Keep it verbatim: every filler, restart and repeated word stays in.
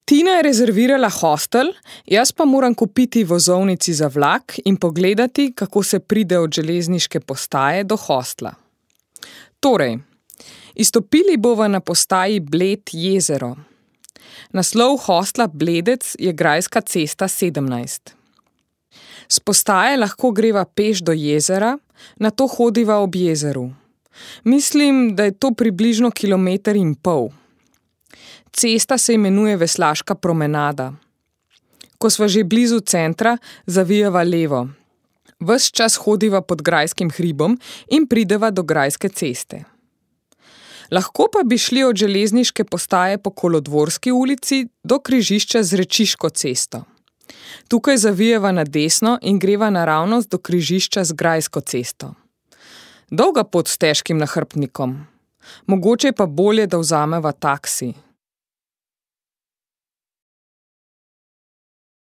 Tina je rezervirala hostel, jaz pa moram kupiti vozovnici za vlak in pogledati, kako se pride od železniške postaje do hostla. Torej, izstopili bova na postaji Bled jezero. Naslov hostla Bledec je Grajska cesta sedemnajst. S postaje lahko greva peš do jezera, nato hodiva ob jezeru. Mislim, da je to približno kilometer in pol. Cesta se imenuje Veslaška promenada. Ko sva že blizu centra, zavijeva levo. Ves čas hodiva pod Grajskim hribom in prideva do Grajske ceste. Lahko pa bi šli od železniške postaje po Kolodvorski ulici do križišča z Rečiško cesto. Tukaj zavijeva na desno in greva naravnost do križišča z Grajsko cesto. Dolga pot s težkim nahrbtnikom. Mogoče pa bolje, da vzameva taksi.